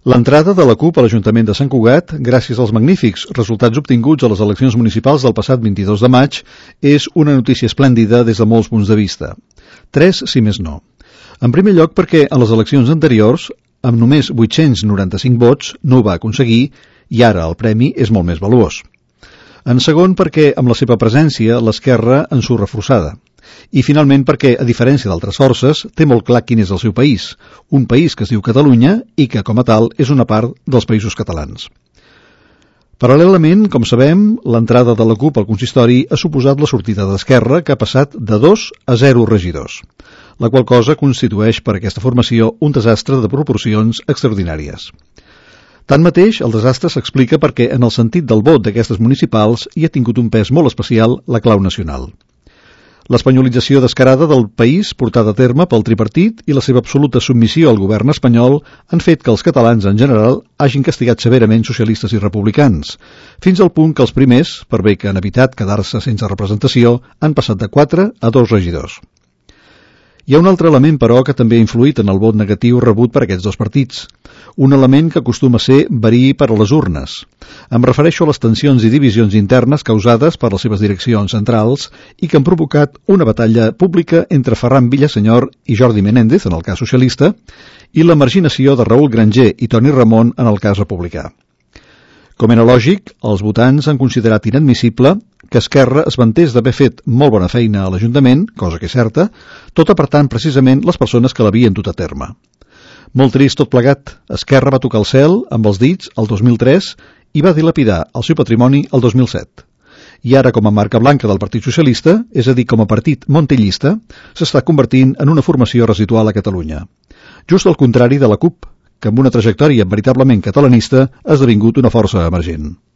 L'entrada de la CUP a l'Ajuntament de Sant Cugat, gràcies als magnífics resultats obtinguts a les eleccions municipals del passat 22 de maig, és una notícia esplèndida des de molts punts de vista. 3, si més no. En primer lloc perquè a les eleccions anteriors, amb només 895 vots, no ho va aconseguir i ara el premi és molt més valuós. En segon perquè amb la seva presència l'esquerra en surt reforçada. I finalment perquè, a diferència d'altres forces, té molt clar quin és el seu país, un país que es diu Catalunya i que, com a tal, és una part dels països catalans. Paral·lelament, com sabem, l'entrada de la CUP al consistori ha suposat la sortida d'Esquerra, que ha passat de 2 a 0 regidors, la qual cosa constitueix per a aquesta formació un desastre de proporcions extraordinàries. Tanmateix, el desastre s'explica perquè, en el sentit del vot d'aquestes municipals, hi ha tingut un pes molt especial la clau nacional. L'espanyolització descarada del país portada a terme pel tripartit i la seva absoluta submissió al govern espanyol han fet que els catalans en general hagin castigat severament socialistes i republicans, fins al punt que els primers, per bé que han evitat quedar-se sense representació, han passat de 4 a 2 regidors. Hi ha un altre element, però, que també ha influït en el vot negatiu rebut per aquests dos partits. Un element que acostuma a ser verí per a les urnes. Em refereixo a les tensions i divisions internes causades per les seves direccions centrals i que han provocat una batalla pública entre Ferran Villasenyor i Jordi Menéndez, en el cas socialista, i la marginació de Raül Granger i Toni Ramon en el cas republicà. Com era lògic, els votants han considerat inadmissible que Esquerra es vantés d'haver fet molt bona feina a l'Ajuntament, cosa que és certa, tot apartant precisament les persones que l'havien dut a terme. Molt trist tot plegat, Esquerra va tocar el cel amb els dits el 2003 i va dilapidar el seu patrimoni el 2007. I ara, com a marca blanca del Partit Socialista, és a dir, com a partit montellista, s'està convertint en una formació residual a Catalunya. Just al contrari de la CUP, que amb una trajectòria veritablement catalanista ha esdevingut una força emergent.